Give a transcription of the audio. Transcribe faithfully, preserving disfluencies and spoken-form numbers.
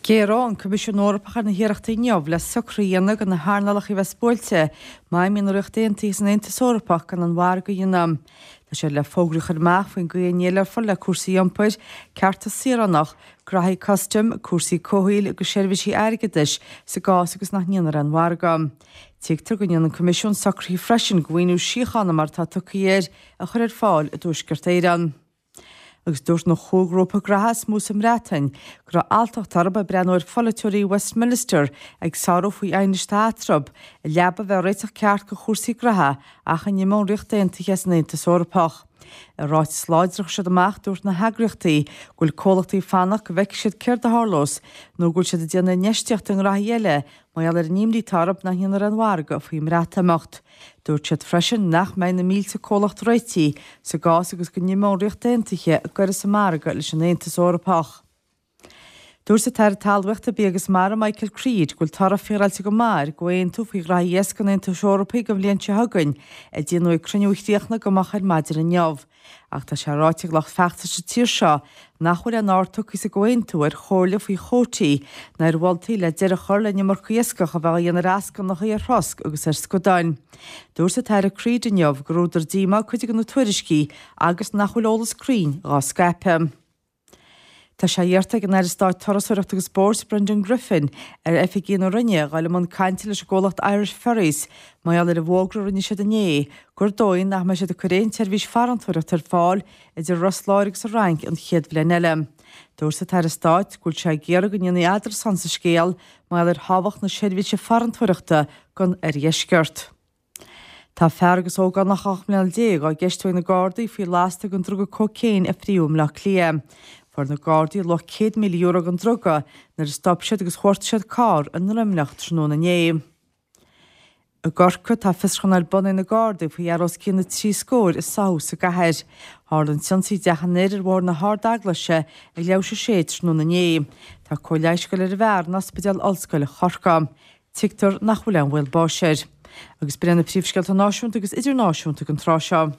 Géaróidh an Coimisiún Eorpach ar na hiarrachtaí inniu le socruithe a dhéanamh do na hearnálacha a bheas buailte má imíonn an Ríocht Aontaithe as an Aontas Eorpach gan an mhargadh a dhéanamh. Tá siad le fógraí a chur amach faoin gcaoi a ndéileálfar le cúrsaí iompair, cearta saoránach, graithí custaim, cúrsaí comhshaoil agus seirbhísí airgeadais sa gcás agus nach ndéanfar aon mhargadh. Tuigtear go ndéanfaidh an Coimisiún socruithe freisin do mhaoiniú síochána mar atá tugtha air a chur ar fáil i dTuaisceart Éireann. Agus dúirt na comhghrúpa graithe is mó sa mBreatain go raibh alltacht orthu ag breathnú ar pholaiteoirí Westminster ag sárú faoi aighnis atá eatarthu, i leaba a bheith réiteach ceart do chúrsaí graithe ach a n-imeodh an Ríocht Aontaithe as an Aontas Eorpach. I ráiteas láidir a chuir siad amach dúirt na heagraíochtaí go bhfuil comhlachtaí ag fanacht go bhfeicfidh siad céard a tharlós nó go bhfuil siad ag déanamh infheistíochta i ngraithí eile mar gheall ar an imní atá orthu nach ndéanfar aon mhargadh faoin mBreatimeacht. Dúirt siad freisin nach mbeidh na mílte comhlacht réitithe sa gcás agus go n-imeodh an Ríocht Aontaithe ag goir as an margadh leis an Aontas Eorpach. Dúirt an tAire Talmhaíochta, Bia agus Mara Michael Creed go bhfuil toradh féaráilte go maith ar an gcomhaontú faoi ghraithí iasc an Aontais Eorpaigh don bhliain seo chugainn a déanadh ag cruinniú a chríochnaigh go moch ar maidin inniu. Ach tá sé ráite ag lucht feachtais sa tír seo nach bhfuil aon aird tugtha sa gcomhaontú ar chomhairle faoi chótaí ná ar mholtaí le deireadh a chur le an iomarca iascach a bheith á dhéanamh ar eascannacha, ar throsc agus ar scadáin. Dúirt an tAire Creed inniu gur údar díomá cuid de na tuairiscí agus nach bhfuil eolas cruinn dhá scaipeadh. Tá sé iarrta ag an Aire Stáit Turasóireachta agus Spóirt Brendan Griffin ar oifigigh na Roinne a dhul i mbun cainte leis an gcomhlacht Irish Ferries mar gheall ar an bhfógra a rinne siad inné gur dóigh nach mbeidh siad ag cur aon tseirbhís farantóireachta ar fáil idir Ros Láir agus an Fhrainc an chéad bhliain eile. Dúirt an tAire Stáit go bhfuil sé ag iarraidh go ndéanfaí eadrasán sa scéal mar gheall ar thábhacht na seirbhíse farantóireachta don oirdheisceart. Tá fear agus ógánach ocht mbliana déag á gceistiú ag na Gardaí faoi lasta den druga cócaon a fríodh i mBleá Cliath. Fuair na Gardaí luach céad míle euro den druga nuair a stop siad agus chuartaigh siad carr i nDroimneach tráthnóna inné. I gCorcaigh tá fiosrúchán ar bun ag na Gardaí faoi fhear os cionn na trí scóir a sáthadh sa gcathair. Tharla an t-ionsaí i dteach an fhir ar Bhóthar na hArd-Eaglaise ag leathuair tar éis a sé tráthnóna inné. Tá cóir leighis ag dul ar an bhfear in Ospidéal Ollscoile Chorcaí. Tuigtear nach bhfuil aon bhaol báis air. Agus b'in iad na príomhscéalta náisiúnta agus idirnáisiúnta don tráth seo.